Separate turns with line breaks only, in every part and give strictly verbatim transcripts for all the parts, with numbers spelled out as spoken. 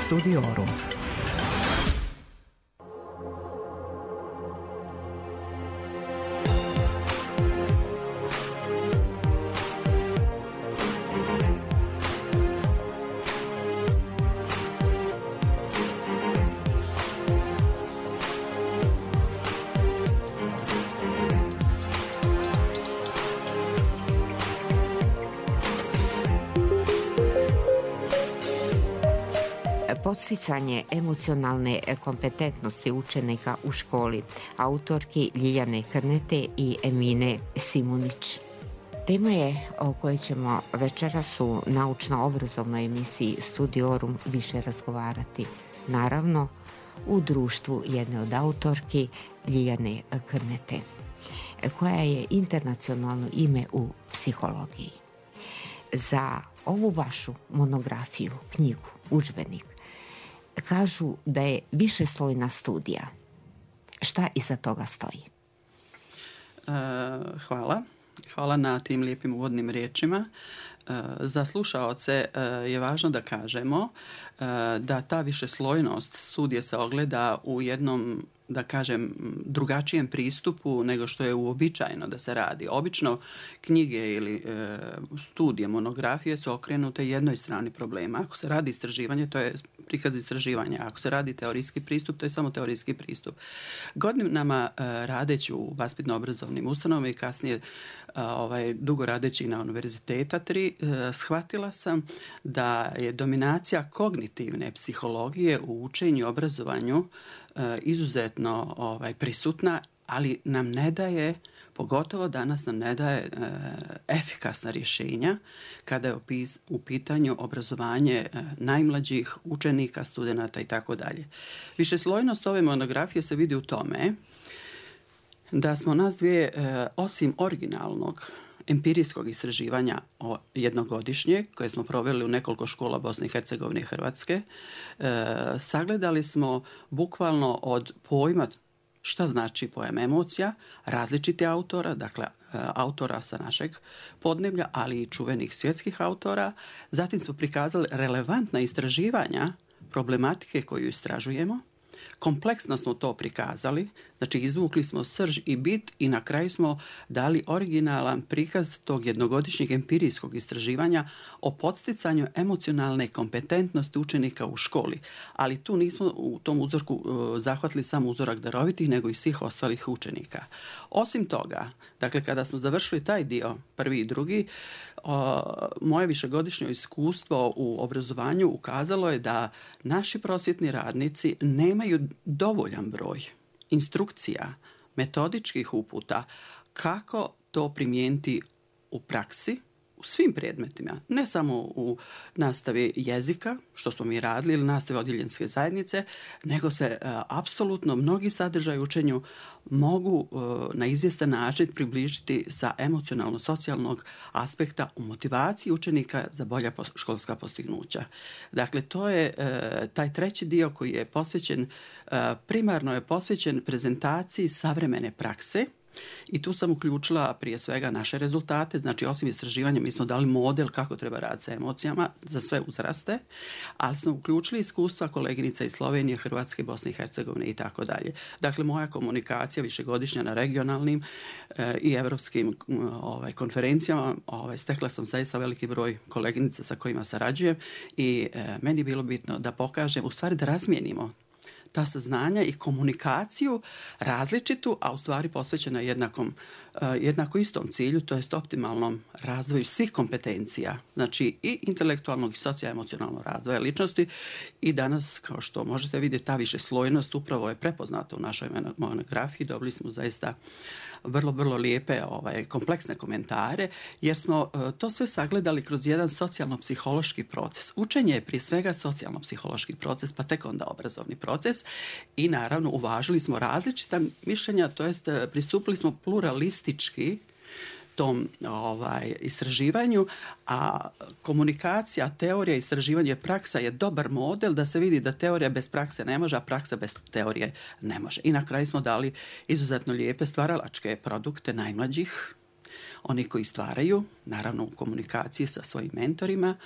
Studiorum.
Podsticanje emocionalne kompetentnosti učenika u školi, autorki Ljiljane Krnete i Emine Simunić. Tema je o kojoj ćemo večeras u naučno-obrazovnoj emisiji Studiorum više razgovarati. Naravno, u društvu jedne od autorki Ljiljane Krnete, koja je internacionalno ime u psihologiji. Za ovu vašu monografiju, knjigu, udžbenik, kažu da je višeslojna studija. Šta iza toga stoji?
Uh, hvala. Hvala na tim lijepim uvodnim riječima. Uh, za slušaoce uh, je važno da kažemo uh, da ta višeslojnost studije se ogleda u jednom, da kažem, drugačijem pristupu nego što je uobičajeno da se radi. Obično knjige ili e, studije, monografije su okrenute jednoj strani problema. Ako se radi istraživanje, to je prikaz istraživanja. Ako se radi teorijski pristup, to je samo teorijski pristup. Godinama e, radeći u vaspitno-obrazovnim ustanovama i kasnije a, ovaj, dugo radeći na univerziteta tri, e, shvatila sam da je dominacija kognitivne psihologije u učenju i obrazovanju e, izuzetno ovaj, prisutna, ali nam ne daje, pogotovo danas nam ne daje e, efikasna rješenja kada je opis, u pitanju obrazovanje e, najmlađih učenika, studenata i tako dalje. Višeslojnost ove monografije se vidi u tome da smo nas dvije, e, osim originalnog empirijskog istraživanja o jednogodišnjeg, koje smo proveli u nekoliko škola Bosne i Hercegovine i Hrvatske, e, sagledali smo bukvalno od pojma šta znači pojam emocija, različiti autora, dakle autora sa našeg podneblja, ali i čuvenih svjetskih autora. Zatim smo prikazali relevantna istraživanja problematike koju istražujemo. Kompleksno smo to prikazali, znači izvukli smo srž i bit i na kraju smo dali originalan prikaz tog jednogodišnjeg empirijskog istraživanja o podsticanju emocionalne kompetentnosti učenika u školi. Ali tu nismo u tom uzorku uh, zahvatili samo uzorak darovitih, nego i svih ostalih učenika. Osim toga, dakle, kada smo završili taj dio, prvi i drugi, uh, moje višegodišnje iskustvo u obrazovanju ukazalo je da naši prosvjetni radnici nemaju dovoljan broj instrukcija, metodičkih uputa kako to primijeniti u praksi, u svim predmetima, ne samo u nastavi jezika, što smo mi radili, ili nastavi odjeljenske zajednice, nego se uh, apsolutno mnogi sadržaji učenju mogu uh, na izvjestan način približiti sa emocionalno-socijalnog aspekta u motivaciji učenika za bolja pos- školska postignuća. Dakle, to je uh, taj treći dio koji je posvećen, uh, primarno je posvećen prezentaciji savremene prakse. I tu sam uključila prije svega naše rezultate, znači osim istraživanja mi smo dali model kako treba raditi sa emocijama za sve uzraste, ali smo uključili iskustva koleginica iz Slovenije, Hrvatske, Bosne i Hercegovine i tako dalje. Dakle, moja komunikacija višegodišnja na regionalnim e, i evropskim ovaj, konferencijama, ovaj, stekla sam zaista veliki broj koleginica sa kojima sarađujem i e, meni je bilo bitno da pokažem, u stvari da razmijenimo ta saznanja i komunikaciju različitu, a u stvari posvećena jednakom, uh, jednako istom cilju, to jest optimalnom razvoju svih kompetencija, znači i intelektualnog i socioemocionalnog razvoja ličnosti. I danas, kao što možete vidjeti, ta višeslojnost upravo je prepoznata u našoj monografiji. Dobili smo zaista vrlo, vrlo lijepe ovaj, kompleksne komentare, jer smo uh, to sve sagledali kroz jedan socijalno-psihološki proces. Učenje je prije svega socijalno-psihološki proces, pa tek onda obrazovni proces. I naravno uvažili smo različita mišljenja, to jest pristupili smo pluralistički tom ovaj, istraživanju, a komunikacija, teorija, istraživanje, praksa je dobar model da se vidi da teorija bez prakse ne može, a praksa bez teorije ne može. I na kraju smo dali izuzetno lijepe stvaralačke produkte najmlađih. Oni koji stvaraju, naravno u komunikaciji sa svojim mentorima,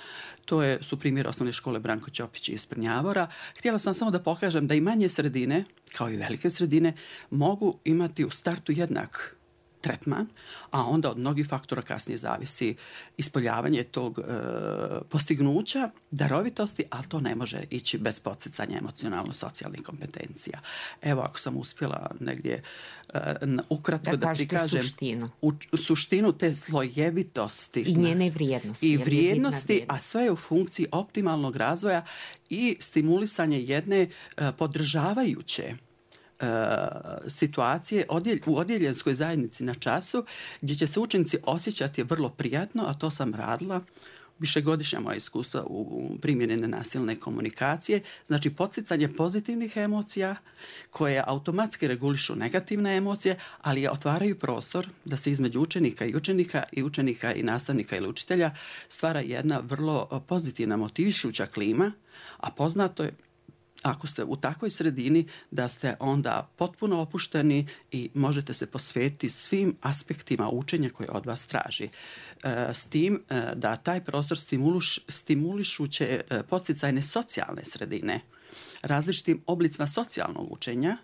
to je, su primjer osnovne škole Branko Ćopić iz Prnjavora. Htjela sam samo da pokažem da i manje sredine, kao i velike sredine, mogu imati u startu jednak tretman, a onda od mnogih faktora kasnije zavisi ispoljavanje tog e, postignuća, darovitosti, ali to ne može ići bez podsticanja emocionalno-socijalnih kompetencija. Evo, ako sam uspjela negdje e, ukratko da, da prikažem
suštinu.
U, suštinu te slojevitosti
i njene vrijednosti.
I vrijednosti, a sve je u funkciji optimalnog razvoja i stimulisanje jedne e, podržavajuće situacije u odjeljenskoj zajednici na času gdje će se učenici osjećati vrlo prijatno, a to sam radila višegodišnja moja iskustva u primjeni nenasilne komunikacije, znači podsticanje pozitivnih emocija koje automatski regulišu negativne emocije, ali je otvaraju prostor da se između učenika i učenika i učenika i nastavnika ili učitelja stvara jedna vrlo pozitivna motivišuća klima, a poznato je ako ste u takvoj sredini da ste onda potpuno opušteni i možete se posvetiti svim aspektima učenja koje od vas traži. S tim da taj prostor stimuliš, stimulišuće podsticajne socijalne sredine, različitim oblicima socijalnog učenja,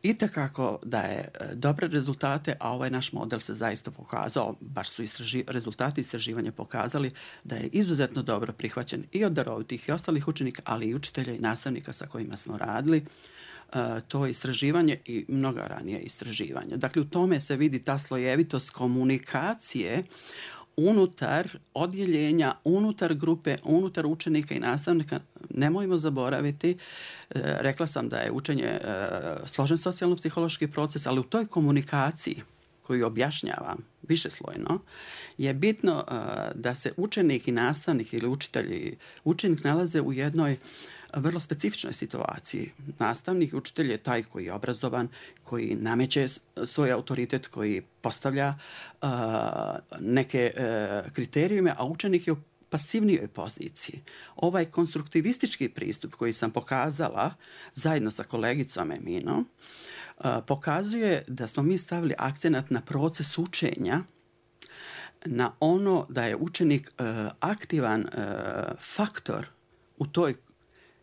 itekako daje dobre rezultate, a ovaj naš model se zaista pokazao, bar su istraži, rezultati istraživanja pokazali da je izuzetno dobro prihvaćen i od darovitih i ostalih učenika, ali i učitelja i nastavnika sa kojima smo radili. Uh, to istraživanje i mnoga ranije istraživanja. Dakle, u tome se vidi ta slojevitost komunikacije unutar odjeljenja, unutar grupe, unutar učenika i nastavnika. Nemojmo zaboraviti, e, rekla sam da je učenje e, složen socijalno-psihološki proces, ali u toj komunikaciji koju objašnjavam višeslojno, je bitno e, da se učenik i nastavnik ili učitelj, učenik nalaze u jednoj vrlo specifičnoj situaciji. Nastavnik i učitelj je taj koji je obrazovan, koji nameće svoj autoritet, koji postavlja uh, neke uh, kriterijume, a učenik je u pasivnijoj poziciji. Ovaj konstruktivistički pristup koji sam pokazala zajedno sa kolegicom Eminom uh, pokazuje da smo mi stavili akcenat na proces učenja, na ono da je učenik uh, aktivan uh, faktor u toj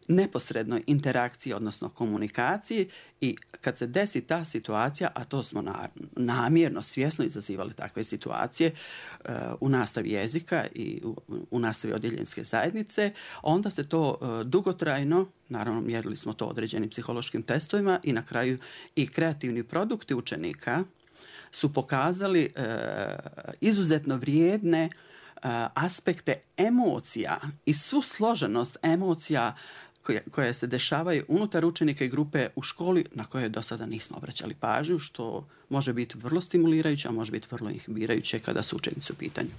neposrednoj interakciji, odnosno komunikaciji, i kad se desi ta situacija, a to smo namjerno, svjesno izazivali takve situacije uh, u nastavi jezika i u, u nastavi odjeljenske zajednice, onda se to uh, dugotrajno, naravno mjerili smo to određenim psihološkim testovima i na kraju i kreativni produkti učenika su pokazali uh, izuzetno vrijedne uh, aspekte emocija i svu složenost emocija koje, koje se dešavaju unutar učenika i grupe u školi na koje do sada nismo obraćali pažnju, što može biti vrlo stimulirajuće, a može biti vrlo inhibirajuće kada su učenici u pitanju.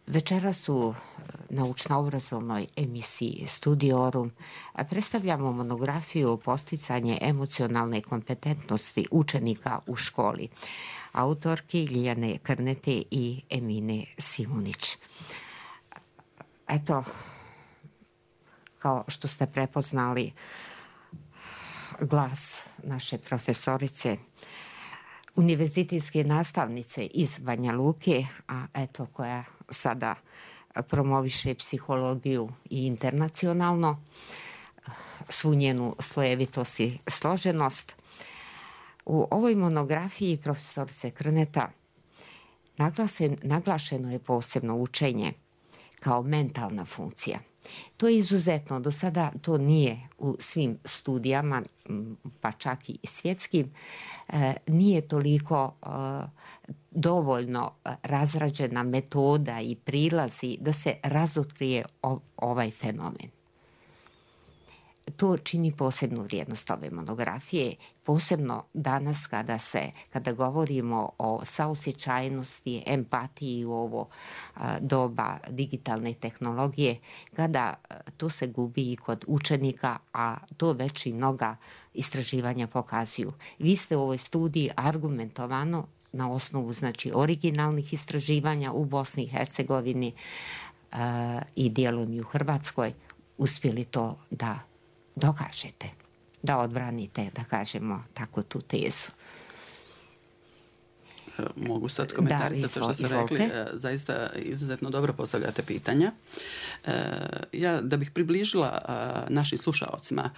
Večeras u naučno-obrazovnoj emisiji Studiorum predstavljamo monografiju Posticanje emocionalne kompetentnosti učenika u školi, autorki Ljiljane Krnete i Emine Simunić. Eto, kao što ste prepoznali glas naše profesorice, univerzitetske nastavnice iz Banja Luke, a eto koja sada promoviše psihologiju i internacionalno, svu njenu slojevitost i složenost. U ovoj monografiji profesorice Krneta naglasen, naglašeno je posebno učenje kao mentalna funkcija. To je izuzetno, do sada to nije u svim studijama, pa čak i svjetskim, nije toliko dovoljno razrađena metoda i prilazi da se razotkrije ovaj fenomen. to čini posebnu vrijednost ove monografije, posebno danas kada se, kada govorimo o saosjećajnosti, empatiji u ovo doba digitalne tehnologije, kada to se gubi i kod učenika, a to već i mnoga istraživanja pokazuju. Vi ste u ovoj studiji argumentovano na osnovu, znači, originalnih istraživanja u Bosni i Hercegovini uh, i dijelom i u Hrvatskoj uspjeli to da dokažete, da odbranite, da kažemo tako, tu tezu.
Mogu sad komentarisati to što ste rekli. Zaista izuzetno dobro postavljate pitanja. Ja, da bih približila našim slušaocima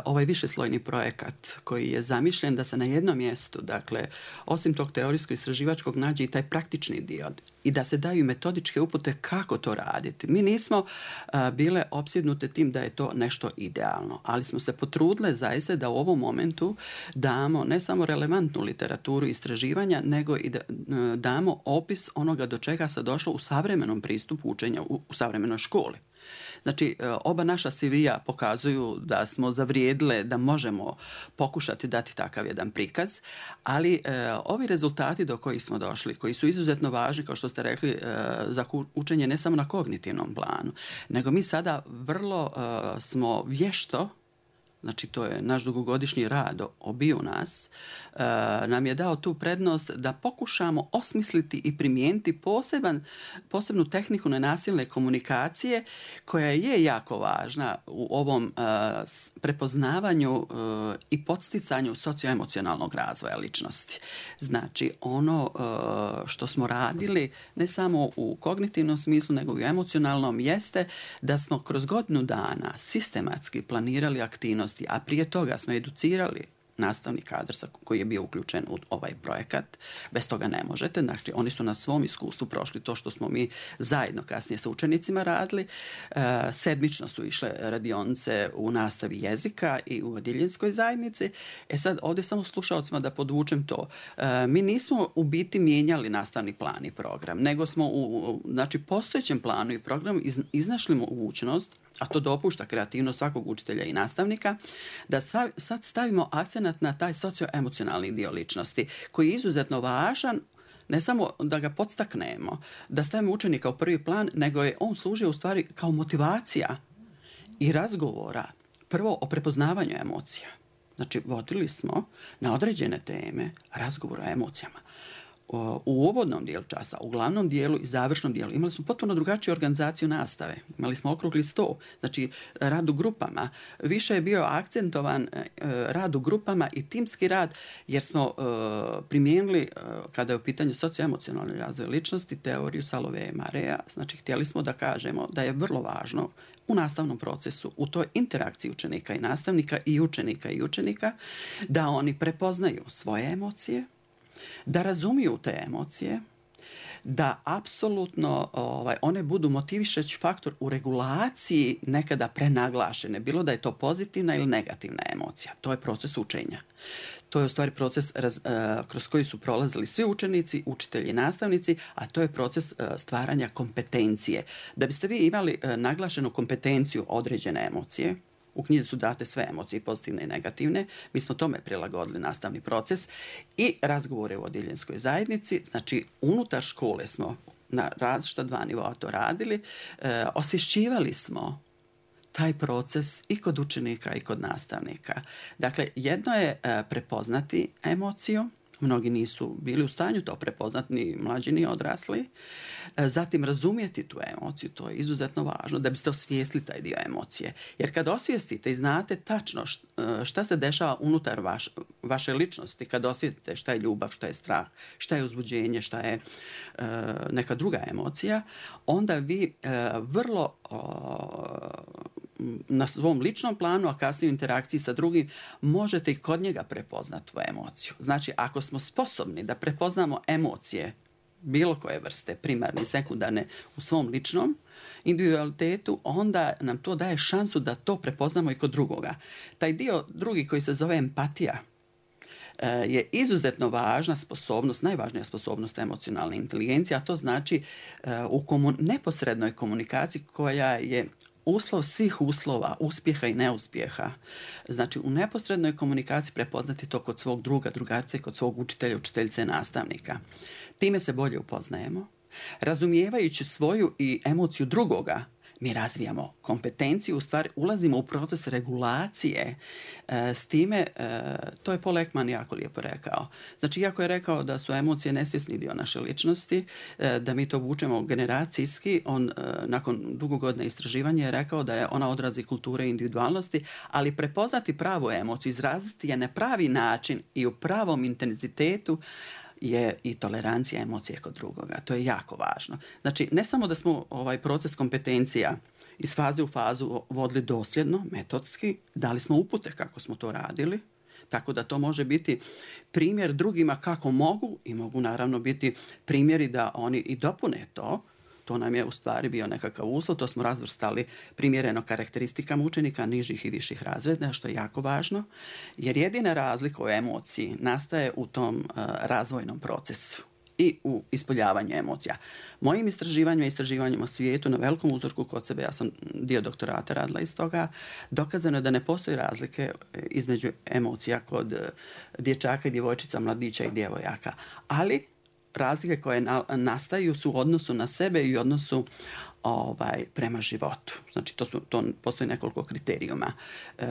ovaj višeslojni projekat koji je zamišljen da se na jednom mjestu, dakle, osim tog teorijsko-istraživačkog, nađe i taj praktični dio i da se daju metodičke upute kako to raditi. Mi nismo bile opsjednute tim da je to nešto idealno, ali smo se potrudile zaista da u ovom momentu damo ne samo relevantnu literaturu istraživanja, nego i da damo opis onoga do čega se došlo u savremenom pristupu učenja u, u savremenoj školi. Znači, oba naša C V-a pokazuju da smo zavrijedile da možemo pokušati dati takav jedan prikaz, ali e, ovi rezultati do kojih smo došli, koji su izuzetno važni, kao što ste rekli, e, za učenje ne samo na kognitivnom planu, nego mi sada vrlo e, smo vješto, znači to je naš dugogodišnji rad obiju nas, e, nam je dao tu prednost da pokušamo osmisliti i primijeniti poseban, posebnu tehniku nenasilne komunikacije koja je jako važna u ovom e, prepoznavanju e, i podsticanju socioemocionalnog razvoja ličnosti. Znači ono e, što smo radili ne samo u kognitivnom smislu nego i u emocionalnom jeste da smo kroz godinu dana sistematski planirali aktivnosti, a prije toga smo educirali nastavni kadar koji je bio uključen u ovaj projekat. Bez toga ne možete. Znači, oni su na svom iskustvu prošli to što smo mi zajedno kasnije sa učenicima radili. E, sedmično su išle radionice u nastavi jezika i u odjeljenskoj zajednici. E sad, ovdje samo slušalcima da podvučem to. E, mi nismo u biti mijenjali nastavni plan i program, nego smo u znači, postojećem planu i programu iz, iznašli mogućnost, a to dopušta kreativnost svakog učitelja i nastavnika, da sad stavimo akcenat na taj socioemocionalni dio ličnosti, koji je izuzetno važan, ne samo da ga podstaknemo, da stavimo učenika u prvi plan, nego je on služio u stvari kao motivacija i razgovora, prvo o prepoznavanju emocija. Znači, vodili smo na određene teme razgovor o emocijama. U uvodnom dijelu časa, u glavnom dijelu i završnom dijelu imali smo potpuno drugačiju organizaciju nastave. Imali smo okrugli sto, znači rad u grupama. Više je bio akcentovan rad u grupama i timski rad, jer smo primijenili, kada je u pitanju socioemocionalni razvoj ličnosti, teoriju Salovea i Marea. Znači, htjeli smo da kažemo da je vrlo važno u nastavnom procesu, u toj interakciji učenika i nastavnika i učenika i učenika, da oni prepoznaju svoje emocije, da razumiju te emocije, da apsolutno ovaj, one budu motivišući faktor u regulaciji nekada prenaglašene, bilo da je to pozitivna ili negativna emocija. To je proces učenja. To je u stvari proces raz, uh, kroz koji su prolazili svi učenici, učitelji i nastavnici, a to je proces uh, stvaranja kompetencije. Da biste vi imali uh, naglašenu kompetenciju određene emocije, u knjizi su date sve emocije, pozitivne i negativne. Mi smo tome prilagodili nastavni proces i razgovore u odjeljenskoj zajednici. Znači, unutar škole smo na različita dva nivoa to radili. E, osvješćivali smo taj proces i kod učenika i kod nastavnika. Dakle, jedno je e, prepoznati emociju. Mnogi nisu bili u stanju to prepoznati, ni mlađi ni odrasli. Zatim razumjeti tu emociju, to je izuzetno važno da biste osvijestili taj dio emocije. Jer kad osvijestite i znate tačno šta se dešava unutar vaš, vaše ličnosti, kad osvijestite šta je ljubav, šta je strah, šta je uzbuđenje, šta je uh, neka druga emocija, onda vi uh, vrlo uh, na svom ličnom planu, a kasnije u interakciji sa drugim, možete i kod njega prepoznati tu emociju. Znači, ako smo sposobni da prepoznamo emocije bilo koje vrste, primarne i sekundarne, u svom ličnom individualitetu, onda nam to daje šansu da to prepoznamo i kod drugoga. Taj dio drugi koji se zove empatija je izuzetno važna sposobnost, najvažnija sposobnost emocionalne inteligencije, a to znači u komun- neposrednoj komunikaciji koja je uslov svih uslova, uspjeha i neuspjeha. Znači, u neposrednoj komunikaciji prepoznati to kod svog druga, drugarca i kod svog učitelja, učiteljice, nastavnika. Time se bolje upoznajemo. Razumijevajući svoju i emociju drugoga, mi razvijamo kompetenciju, u stvari ulazimo u proces regulacije. E, s time, e, to je Paul Ekman jako lijepo rekao. Znači, iako je rekao da su emocije nesvjesni dio naše ličnosti, e, da mi to vučemo generacijski, on e, nakon dugo godina istraživanja je rekao da je ona odrazi kulture i individualnosti, ali prepoznati pravu emociju, izraziti je na pravi način i u pravom intenzitetu, je i tolerancija emocije kod drugoga. To je jako važno. Znači, ne samo da smo ovaj proces kompetencija iz faze u fazu vodili dosljedno, metodski, dali smo upute kako smo to radili, tako da to može biti primjer drugima kako mogu i mogu naravno biti primjeri da oni i dopune to. To nam je u stvari bio nekakav uslov, to smo razvrstali primjereno karakteristikama učenika nižih i viših razreda, što je jako važno, jer jedina razlika u emociji nastaje u tom uh, razvojnom procesu i u ispoljavanju emocija. Mojim istraživanjima i istraživanjima o svijetu na velikom uzorku kod sebe, ja sam dio doktorata radila iz toga, dokazano je da ne postoji razlike između emocija kod dječaka i djevojčica, mladića i djevojaka, ali razlike koje na, nastaju su u odnosu na sebe i u odnosu ovaj, prema životu. Znači, to, su, to postoji nekoliko kriterijuma. E,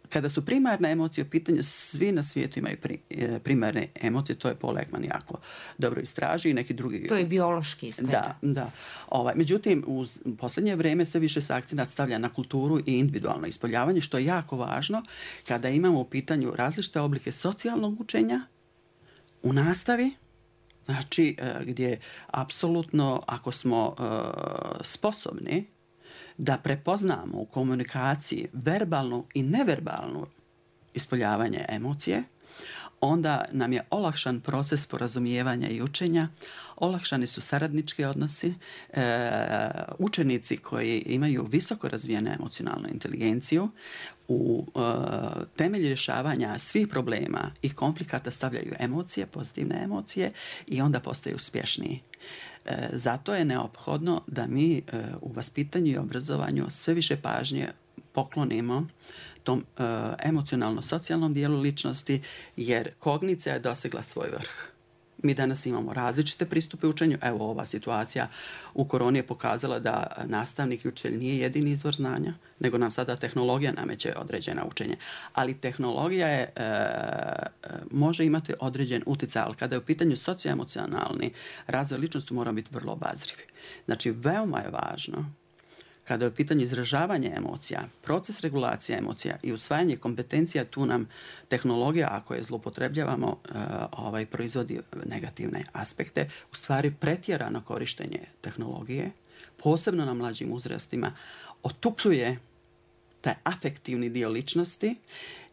kada su primarne emocije u pitanju, svi na svijetu imaju pri, e, primarne emocije, to je Paul Ekman jako dobro istraži i neki drugi...
To je biološki izgleda.
Da, da. Ovaj, međutim, u posljednje vrijeme sve više se akcenat stavlja na kulturu i individualno ispoljavanje, što je jako važno kada imamo u pitanju različite oblike socijalnog učenja u nastavi. Znači, gdje apsolutno, ako smo uh, sposobni da prepoznamo u komunikaciji verbalnu i neverbalnu ispoljavanje emocije, onda nam je olakšan proces sporazumijevanja i učenja, olakšani su saradnički odnosi, e, učenici koji imaju visoko razvijenu emocionalnu inteligenciju, u e, temelj rješavanja svih problema i konflikata stavljaju emocije, pozitivne emocije i onda postaju uspješniji. E, zato je neophodno da mi e, u vaspitanju i obrazovanju sve više pažnje poklonimo tom e, emocionalno-socijalnom dijelu ličnosti, jer kognicija je dosegla svoj vrh. Mi danas imamo različite pristupe učenju. Evo, ova situacija u koroni je pokazala da nastavnik i učitelj nije jedini izvor znanja, nego nam sada tehnologija nameće određena učenja. Ali tehnologija je, e, može imati određen utjecaj, ali kada je u pitanju socioemocionalni razvoj ličnosti, moramo biti vrlo obazrivi. Znači, veoma je važno kada je u pitanju izražavanja emocija, proces regulacije emocija i usvajanje kompetencija, tu nam tehnologija, ako je zloupotrebljavamo, ovaj, proizvodi negativne aspekte. U stvari, pretjerano korištenje tehnologije, posebno na mlađim uzrastima, otupljuje taj afektivni dio ličnosti,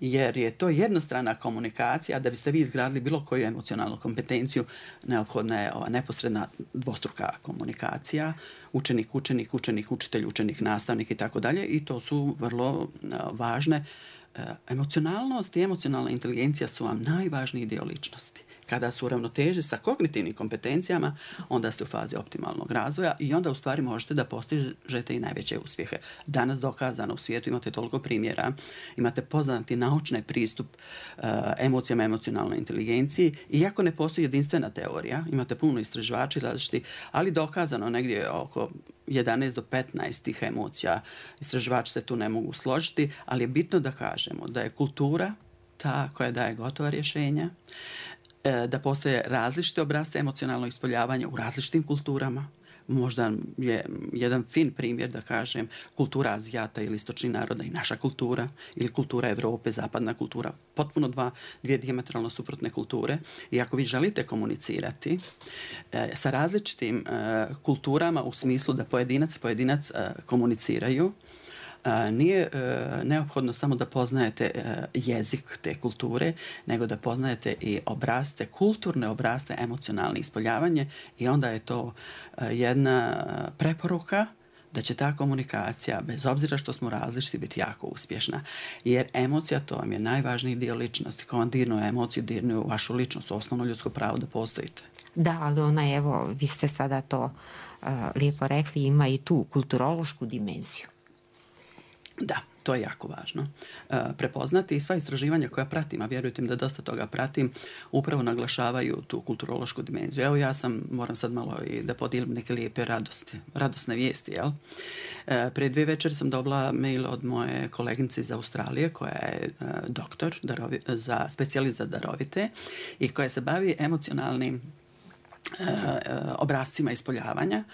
jer je to jednostrana komunikacija. Da biste vi izgradili bilo koju emocionalnu kompetenciju, neophodna je ova neposredna dvostruka komunikacija, učenik, učenik, učenik, učitelj, učenik, nastavnik i tako dalje, i to su vrlo važne. Emocionalnost i emocionalna inteligencija su vam najvažniji dio ličnosti. Kada su u ravnoteži sa kognitivnim kompetencijama, onda ste u fazi optimalnog razvoja i onda u stvari možete da postižete i najveće uspjehe. Danas dokazano u svijetu imate toliko primjera, imate poznati naučni pristup uh, emocijama, emocionalnoj inteligenciji, iako ne postoji jedinstvena teorija, imate puno istraživača različiti, ali dokazano negdje oko jedanaest do petnaest tih emocija. Istraživači se tu ne mogu složiti, ali je bitno da kažemo da je kultura ta koja daje gotova rješenja, da postoje različite obrasce emocionalnog ispoljavanja u različitim kulturama. Možda je jedan fin primjer, da kažem, kultura Azijata ili istočnih naroda i naša kultura, ili kultura Evrope, zapadna kultura, potpuno dva, dvije dijametralno suprotne kulture. I ako vi želite komunicirati e, sa različitim e, kulturama u smislu da pojedinac pojedinac e, komuniciraju, nije neophodno samo da poznajete jezik te kulture, nego da poznajete i obrazce, kulturne obrazce, emocionalne ispoljavanje, i onda je to jedna preporuka da će ta komunikacija, bez obzira što smo različiti, biti jako uspješna. Jer emocija, to vam je najvažniji dio ličnosti. Ko vam dirnu emociju, dirnu vašu ličnost, osnovno ljudsko pravo da postojite.
Da, ali ona, evo, vi ste sada to uh, lijepo rekli, ima i tu kulturološku dimenziju.
Da, to je jako važno. E, prepoznati i sva istraživanja koja pratim, a vjerujte mi da dosta toga pratim, upravo naglašavaju tu kulturološku dimenziju. Evo ja sam, moram sad malo i da podijelim neke lijepe radosti, radosne vijesti, jel? E, prije dvije večeri sam dobila mail od moje koleginice iz Australije, koja je e, doktor darovi, za specijalist za darovite i koja se bavi emocionalnim e, obrascima ispoljavanja.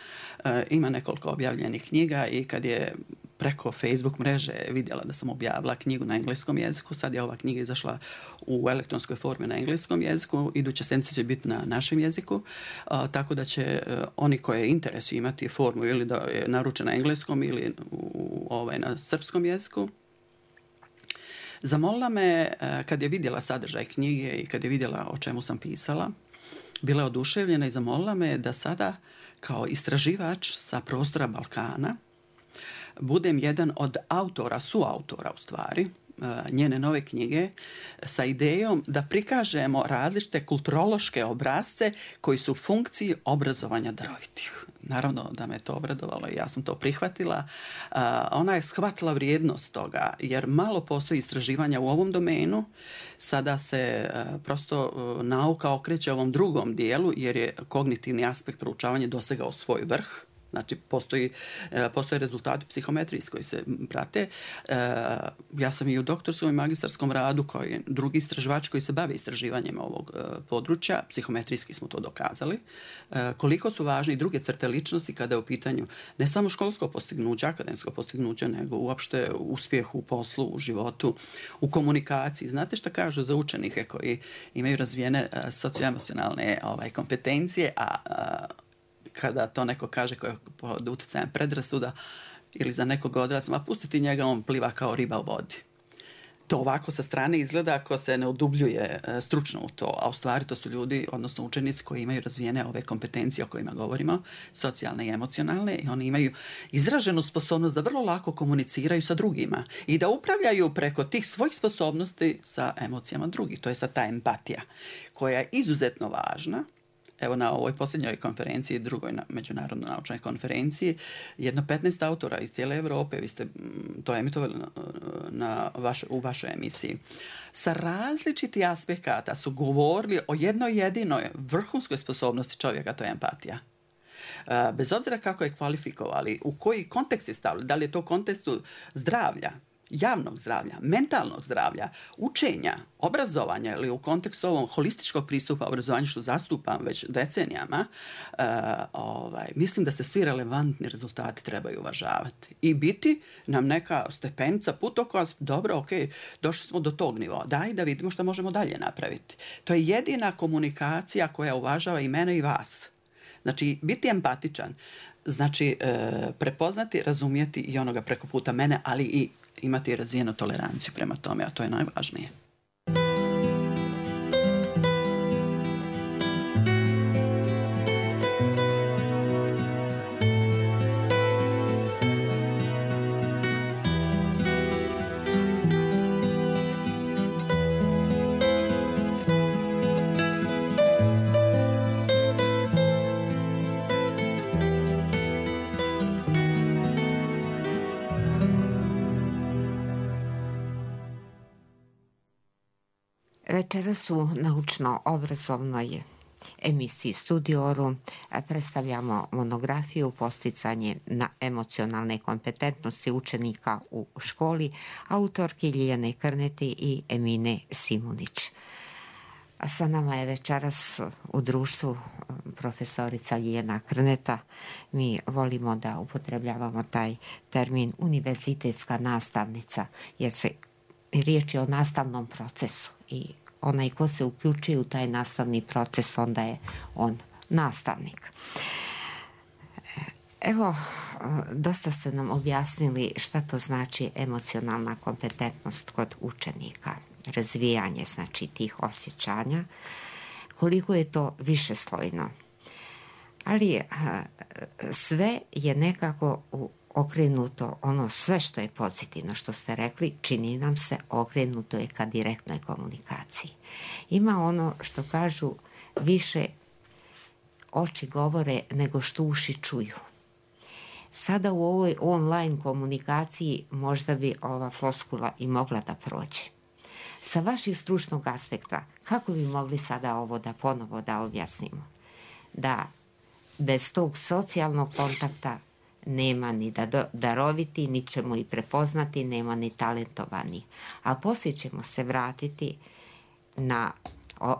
E, ima nekoliko objavljenih knjiga i kad je preko Facebook mreže vidjela da sam objavila knjigu na engleskom jeziku. Sad je ova knjiga izašla u elektronskoj formi na engleskom jeziku. Iduća sedmica će biti na našem jeziku. A, tako da će a, oni koje interesuju imati formu ili da je naručena na engleskom ili u, ovaj, na srpskom jeziku. Zamolila me, a, kad je vidjela sadržaj knjige i kad je vidjela o čemu sam pisala, bila je oduševljena i zamolila me da sada kao istraživač sa prostora Balkana budem jedan od autora, suautora u stvari, njene nove knjige sa idejom da prikažemo različite kulturološke obrasce koji su u funkciji obrazovanja darovitih. Naravno da me to obradovalo i ja sam to prihvatila. Ona je shvatila vrijednost toga jer malo postoji istraživanja u ovom domenu. Sada se prosto nauka okreće ovom drugom dijelu jer je kognitivni aspekt proučavanja dosegao svoj vrh. Znači, postoji, postoje rezultati psihometrijski koji se prate. Ja sam i u doktorskom i magistarskom radu kao i drugi istraživač koji se bave istraživanjem ovog područja. Psihometrijski smo to dokazali. Koliko su važne i druge crte ličnosti kada je u pitanju ne samo školsko postignuće, akademsko postignuće, nego uopšte uspjeh u poslu, u životu, u komunikaciji. Znate šta kažu za učenike koji imaju razvijene socioemocionalne ovaj, kompetencije, a, a kada to neko kaže koji je pod utjecajem predrasuda ili za nekog odrasla, a pustiti njega, on pliva kao riba u vodi. To ovako sa strane izgleda ako se ne udubljuje stručno u to, a u stvari to su ljudi, odnosno učenici koji imaju razvijene ove kompetencije o kojima govorimo, socijalne i emocionalne, i oni imaju izraženu sposobnost da vrlo lako komuniciraju sa drugima i da upravljaju preko tih svojih sposobnosti sa emocijama drugih. To je sad ta empatija koja je izuzetno važna. Evo na ovoj posljednjoj konferenciji, drugoj na međunarodnoj naučnoj konferenciji, jedno petnaest autora iz cijele Evrope, vi ste to emitovali na, na vaš, u vašoj emisiji, sa različitih aspekata su govorili o jednoj jedinoj vrhunskoj sposobnosti čovjeka, to je empatija. Bez obzira kako je kvalifikovali, u koji kontekst je stavili, da li je to u kontekstu zdravlja, javnog zdravlja, mentalnog zdravlja, učenja, obrazovanja ili u kontekstu ovom holističkog pristupa obrazovanju što zastupam već decenijama, uh, ovaj, mislim da se svi relevantni rezultati trebaju uvažavati i biti nam neka stepenica, putokaz, dobro, ok, došli smo do tog nivoa, daj da vidimo što možemo dalje napraviti. To je jedina komunikacija koja uvažava i mene i vas. Znači, biti empatičan, znači e, prepoznati, razumjeti i onoga preko puta mene, ali i imati razvijenu toleranciju prema tome, a to je najvažnije.
Večeras u naučno-obrazovnoj emisiji Studioru predstavljamo monografiju Posticanje na emocionalne kompetentnosti učenika u školi autorki Ljiljane Krneti i Emine Simunić. Sa nama je večeras u društvu profesorica Ljiljana Krneta. Mi volimo da upotrebljavamo taj termin univerzitetska nastavnica, jer se riječ je o nastavnom procesu i onaj ko se uključuje u taj nastavni proces, onda je on nastavnik. Evo, dosta ste nam objasnili šta to znači emocionalna kompetentnost kod učenika, razvijanje znači tih osjećanja, koliko je to višeslojno. Ali sve je nekako u okrenuto, ono sve što je pozitivno što ste rekli, čini nam se okrenuto je ka direktnoj komunikaciji. Ima ono što kažu više oči govore nego što uši čuju. Sada u ovoj online komunikaciji možda bi ova floskula i mogla da prođe. Sa vaših stručnog aspekta, kako bi mogli sada ovo da ponovo da objasnimo? Da bez tog socijalnog kontakta nema ni da daroviti, ni ćemo i prepoznati, nema ni talentovani. A poslije ćemo se vratiti na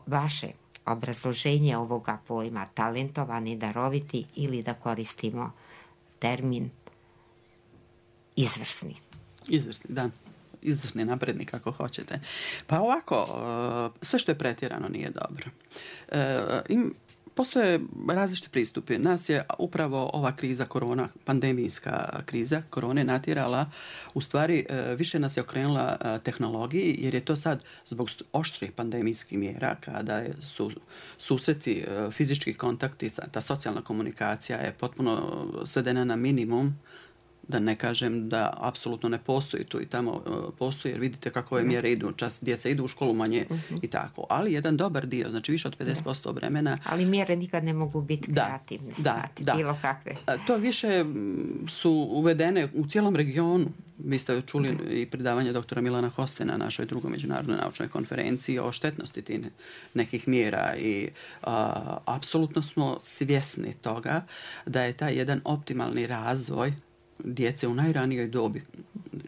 vaše obrazloženje ovoga pojma talentovani, daroviti ili da koristimo termin izvrsni.
Izvrsni, da. Izvrsni naprednik ako hoćete. Pa ovako, sve što je pretjerano nije dobro. Im Postoje različiti pristupi. Nas je upravo ova kriza korona, pandemijska kriza korone natjerala, u stvari više nas je okrenula tehnologiji, jer je to sad zbog oštrih pandemijskih mjera, kada su susreti, fizički kontakti, ta socijalna komunikacija je potpuno svedena na minimum, da ne kažem da apsolutno ne postoji tu i tamo postoji, jer vidite kako ove mjere idu, čas djeca idu u školu manje uh-huh. i tako. Ali jedan dobar dio, znači više od pedeset posto vremena...
Ali mjere nikad ne mogu biti kreativne, stati, da, bilo kakve.
To više su uvedene u cijelom regionu. Vi ste čuli i predavanje doktora Milana Hostena na našoj drugoj međunarodnoj naučnoj konferenciji o štetnosti tih nekih mjera i a, apsolutno smo svjesni toga da je taj jedan optimalni razvoj djece u najranijoj dobi,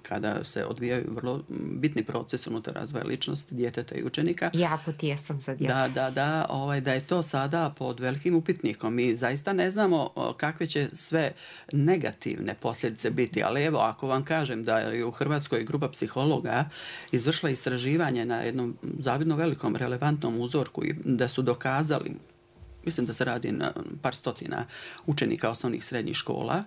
kada se odvijaju vrlo bitni proces unutar razvoja ličnosti djeteta i učenika.
Jako tijesan za djecu.
Da, da, da, ovaj, da je to sada pod velikim upitnikom. Mi zaista ne znamo kakve će sve negativne posljedice biti, ali evo, ako vam kažem da je u Hrvatskoj grupa psihologa izvršila istraživanje na jednom zavidno velikom relevantnom uzorku i da su dokazali, mislim da se radi na par stotina učenika osnovnih srednjih škola,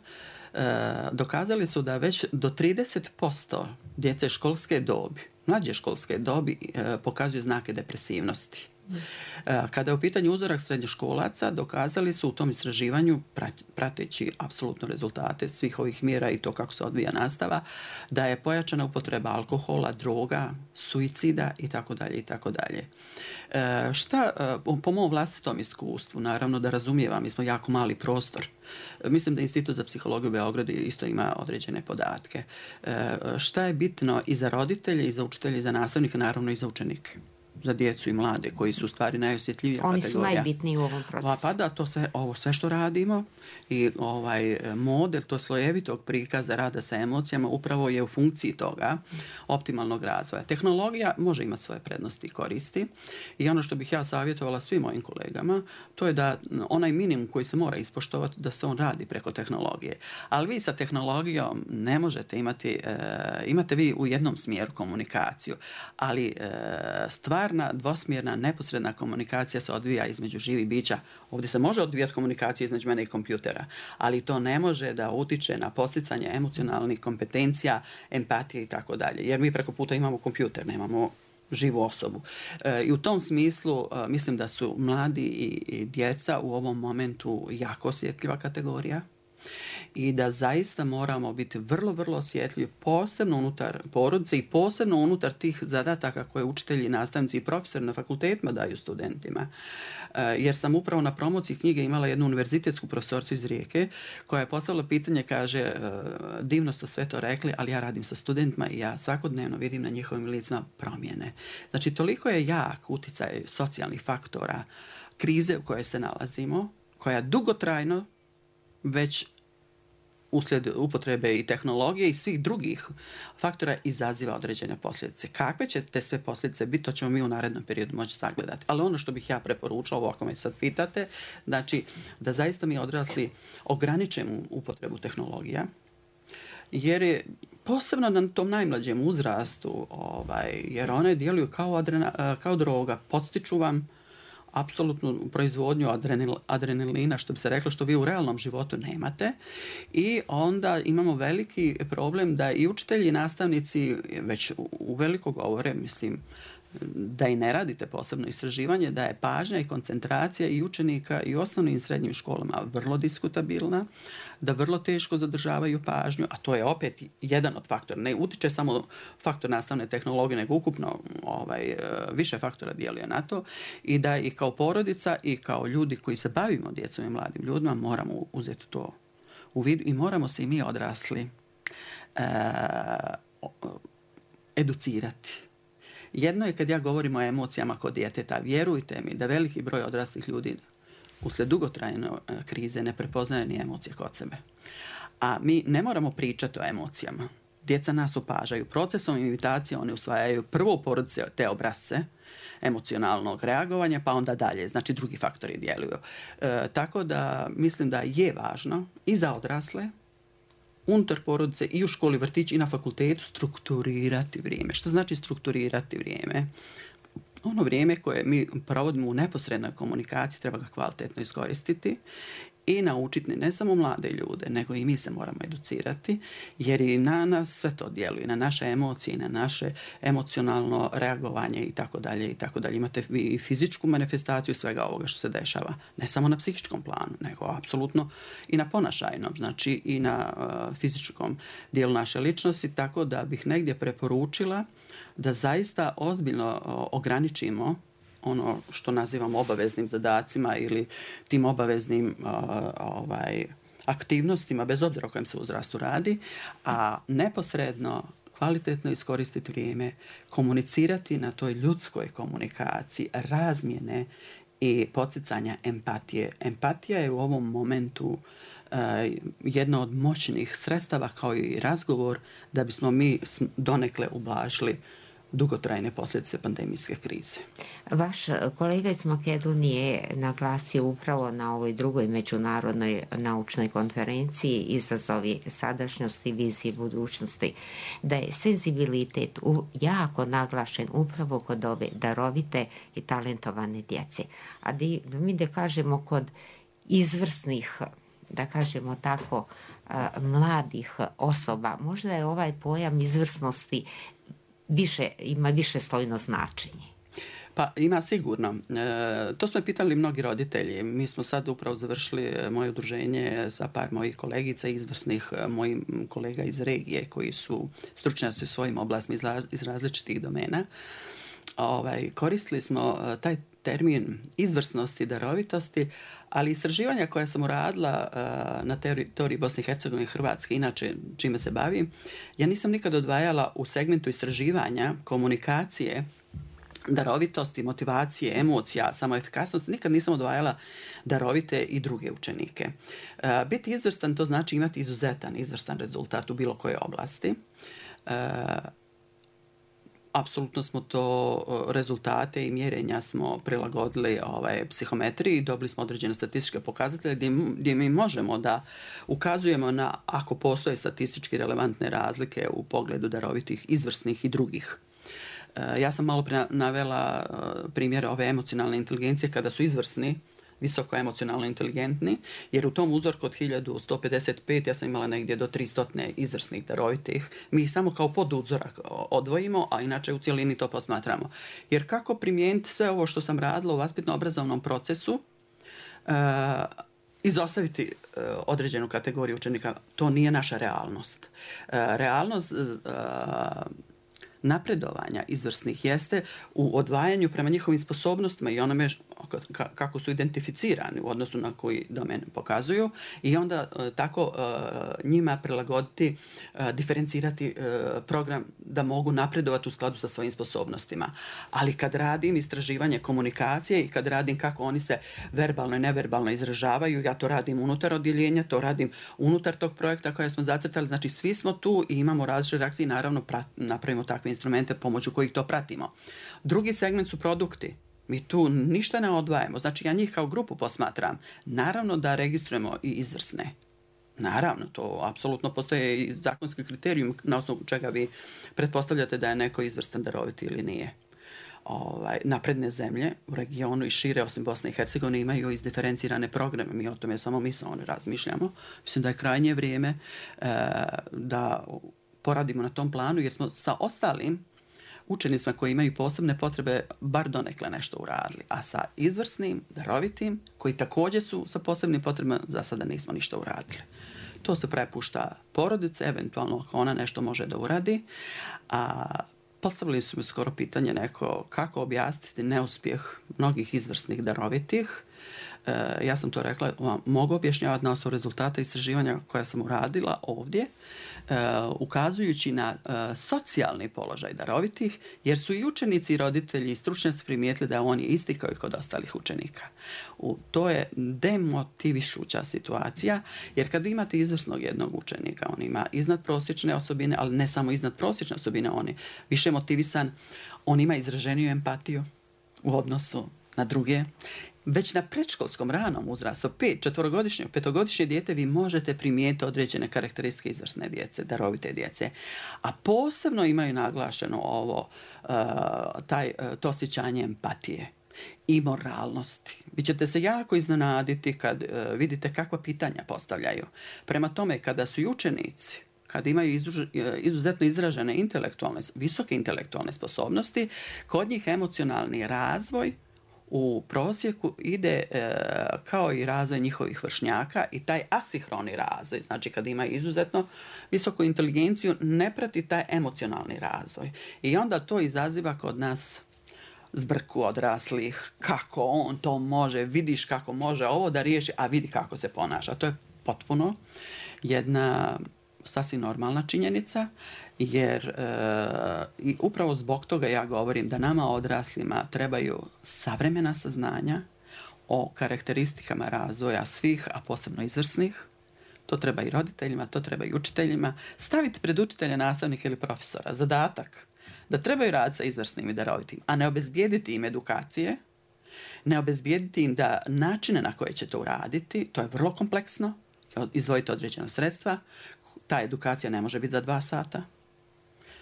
dokazali su da već do trideset posto djece školske dobi, mlađe školske dobi, pokazuju znake depresivnosti. Kada je u pitanju uzorak srednjoškolaca, dokazali su u tom istraživanju, prateći apsolutno rezultate svih ovih mjera i to kako se odvija nastava, da je pojačana upotreba alkohola, droga, suicida i tako dalje i tako dalje. Šta, po mom vlastitom iskustvu, naravno da razumijevam, mi smo jako mali prostor. Mislim da Institut za psihologiju u Beogradu isto ima određene podatke. Šta je bitno i za roditelje, i za učitelje, i za nastavnike, naravno i za učenike, za djecu i mlade, koji su u stvari najosjetljivija
Oni
kategorija.
Oni su najbitniji u ovom procesu.
Pa da, to sve, ovo sve što radimo i ovaj model, to slojevitog prikaza rada sa emocijama upravo je u funkciji toga optimalnog razvoja. Tehnologija može imati svoje prednosti i koristi i ono što bih ja savjetovala svim mojim kolegama, to je da onaj minimum koji se mora ispoštovati, da se on radi preko tehnologije. Ali vi sa tehnologijom ne možete imati, e, imate vi u jednom smjeru komunikaciju, ali e, stvarna, dvosmjerna, neposredna komunikacija se odvija između živih bića. Ovdje se može odvijati komunikacija između mene i kompjutera, ali to ne može da utiče na posticanje emocionalnih kompetencija, empatije i tako dalje. Jer mi preko puta imamo kompjuter, nemamo živu osobu. E, I u tom smislu e, mislim da su mladi i, i djeca u ovom momentu jako osjetljiva kategorija i da zaista moramo biti vrlo, vrlo osjetljivi, posebno unutar porodice i posebno unutar tih zadataka koje učitelji, nastavnici i profesori na fakultetima daju studentima. Jer sam upravo na promociji knjige imala jednu univerzitetsku profesoricu iz Rijeke koja je postavila pitanje, kaže, divno ste sve to rekli, ali ja radim sa studentima i ja svakodnevno vidim na njihovim licima promjene. Znači, toliko je jak uticaj socijalnih faktora, krize u kojoj se nalazimo, koja dugotrajno već uslijed upotrebe i tehnologije i svih drugih faktora izaziva određene posljedice. Kakve će te sve posljedice biti, to ćemo mi u narednom periodu moći sagledati. Ali ono što bih ja preporučila, ovo ako me sad pitate, znači da zaista mi odrasli ograničimo upotrebu tehnologija, jer je posebno na tom najmlađem uzrastu, ovaj, jer one djeluju kao, adrena, kao droga, podstiču vam apsolutnu proizvodnju adrenal, adrenalina, što bi se reklo, što vi u realnom životu nemate. I onda imamo veliki problem da i učitelji i nastavnici već uveliko govore, mislim, da i ne radite posebno istraživanje, da je pažnja i koncentracija i učenika i u osnovnim i srednjim školama vrlo diskutabilna, da vrlo teško zadržavaju pažnju, a to je opet jedan od faktora. Ne utiče samo faktor nastavne tehnologije, nego ukupno ovaj, više faktora djeluje na to i da i kao porodica i kao ljudi koji se bavimo djecom i mladim ljudima moramo uzeti to u vidu i moramo se i mi odrasli e, educirati. Jedno je kad ja govorim o emocijama kod djeteta. Vjerujte mi da veliki broj odraslih ljudi uslijed dugotrajne krize ne prepoznaje ni emocije kod sebe. A mi ne moramo pričati o emocijama. Djeca nas opažaju. Procesom imitacije one usvajaju prvo u porodici te obrasce emocionalnog reagovanja, pa onda dalje. Znači drugi faktori djeluju. E, tako da mislim da je važno i za odrasle, unutar porodice i u školi, vrtići i na fakultetu strukturirati vrijeme. Što znači strukturirati vrijeme? Ono vrijeme koje mi provodimo u neposrednoj komunikaciji treba ga kvalitetno iskoristiti i naučiti ne samo mlade ljude, nego i mi se moramo educirati, jer i na nas sve to djeluje, na naše emocije, na naše emocionalno reagovanje i tako dalje i tako dalje. Imate i fizičku manifestaciju svega ovoga što se dešava, ne samo na psihičkom planu, nego apsolutno i na ponašajnom, znači i na uh, fizičkom dijelu naše ličnosti, tako da bih negdje preporučila da zaista ozbiljno uh, ograničimo ono što nazivamo obaveznim zadacima ili tim obaveznim uh, ovaj, aktivnostima, bez obzira o kojem se uzrastu radi, a neposredno kvalitetno iskoristiti vrijeme, komunicirati na toj ljudskoj komunikaciji, razmjene i podsticanja empatije. Empatija je u ovom momentu uh, jedno od moćnih sredstava kao i razgovor da bismo mi donekle ublažili dugotrajne posljedice pandemijske krize.
Vaš kolega iz Makedonije je naglasio upravo na ovoj drugoj međunarodnoj naučnoj konferenciji Izazovi sadašnjosti i vizije budućnosti, da je senzibilitet jako naglašen upravo kod ove darovite i talentovane djece. A di, mi da kažemo kod izvrsnih, da kažemo tako, mladih osoba, možda je ovaj pojam izvrsnosti više, ima više slojno značenje.
Pa ima sigurno. E, to smo pitali mnogi roditelji. Mi smo sad upravo završili moje udruženje sa par mojih kolegica izvrsnih, mojih kolega iz regije koji su stručnjaci u svojim oblastima iz, iz različitih domena. Ovaj, koristili smo taj termin izvrsnosti, darovitosti, ali istraživanja koja sam uradila uh, na teritoriji Bosne i Hercegovine i Hrvatske, inače čime se bavim, ja nisam nikad odvajala u segmentu istraživanja, komunikacije, darovitosti, motivacije, emocija, samoefikasnosti, nikad nisam odvajala darovite i druge učenike. Uh, biti izvrstan, to znači imati izuzetan, izvrstan rezultat u bilo kojoj oblasti. Uh, Apsolutno smo to rezultate i mjerenja smo prilagodili ovaj, psihometriji i dobili smo određene statističke pokazatelje gdje, gdje mi možemo da ukazujemo na, ako postoje statistički relevantne razlike u pogledu darovitih, izvrsnih i drugih. E, ja sam malo navela primjer ove emocionalne inteligencije kada su izvrsni, visoko emocionalno inteligentni, jer u tom uzorku od hiljadu sto pedeset pet ja sam imala negdje do tristo izvrsnih darovitih. Mi ih samo kao poduzorak odvojimo, a inače u cijelini to posmatramo. Jer kako primijeniti sve ovo što sam radila u vaspitno-obrazovnom procesu, uh, izostaviti uh, određenu kategoriju učenika, to nije naša realnost. Uh, realnost uh, napredovanja izvrsnih jeste u odvajanju prema njihovim sposobnostima i onome kako su identificirani u odnosu na koji domen pokazuju i onda tako njima prilagoditi, diferencirati program da mogu napredovati u skladu sa svojim sposobnostima. Ali kad radim istraživanje komunikacije i kad radim kako oni se verbalno i neverbalno izražavaju, ja to radim unutar odjeljenja, to radim unutar tog projekta koje smo zacrtali, znači svi smo tu i imamo različite reakcije i naravno prat, napravimo takve instrumente pomoću kojih to pratimo. Drugi segment su produkti. Mi tu ništa ne odvajamo. Znači, ja njih kao grupu posmatram. Naravno da registrujemo i izvrsne. Naravno, to apsolutno postoje i zakonski kriterijum na osnovu čega vi pretpostavljate da je neko izvrstan, daroviti ili nije. Ovaj, napredne zemlje u regionu i šire, osim Bosne i Hercegovine, imaju izdiferencirane programe. Mi o tome samo mi samo ne razmišljamo. Mislim da je krajnje vrijeme e, da poradimo na tom planu, jer smo sa ostalim učenicima koji imaju posebne potrebe bar donekle nešto uradili. A sa izvrsnim, darovitim, koji također su sa posebnim potrebama, za sada nismo ništa uradili. To se prepušta porodice, eventualno ako ona nešto može da uradi. A postavili su mi skoro pitanje neko kako objasniti neuspjeh mnogih izvrsnih darovitih ja sam to rekla, vam mogu objašnjavati na osnovu rezultata istraživanja koja sam uradila ovdje, ukazujući na socijalni položaj darovitih, jer su i učenici i roditelji i stručnjaci primijetili da on je isti kao i kod ostalih učenika. U, to je demotivišuća situacija, jer kad imate izvrsnog jednog učenika, on ima iznadprosječne osobine, ali ne samo iznadprosječne osobine, on je više motivisan, on ima izraženiju empatiju u odnosu na druge. Već na predškolskom ranom uzrastu, pet, četvorogodišnje, petogodišnje dijete, vi možete primijetiti određene karakteristike izvrsne djece, darovite djece. A posebno imaju naglašeno ovo, taj, to osjećanje empatije i moralnosti. Vi ćete se jako iznenaditi kad vidite kakva pitanja postavljaju. Prema tome, kada su i učenici, kad imaju izuzetno izražene intelektualne, visoke intelektualne sposobnosti, kod njih emocionalni razvoj u prosjeku ide e, kao i razvoj njihovih vršnjaka i taj asihroni razvoj, znači kad ima izuzetno visoku inteligenciju, ne prati taj emocionalni razvoj. I onda to izaziva kod nas zbrku odraslih, kako on to može, vidiš kako može ovo da riješi, a vidi kako se ponaša. To je potpuno jedna sasvim normalna činjenica, jer e, i upravo zbog toga ja govorim da nama odraslima trebaju savremena saznanja o karakteristikama razvoja svih, a posebno izvrsnih. To treba i roditeljima, to treba i učiteljima. Staviti pred učitelja, nastavnika ili profesora zadatak da trebaju raditi sa izvrsnim i darovitim, a ne obezbijediti im edukacije, ne obezbijediti im da načine na koje će to uraditi, to je vrlo kompleksno, izdvojiti određena sredstva. Ta edukacija ne može biti za dva sata.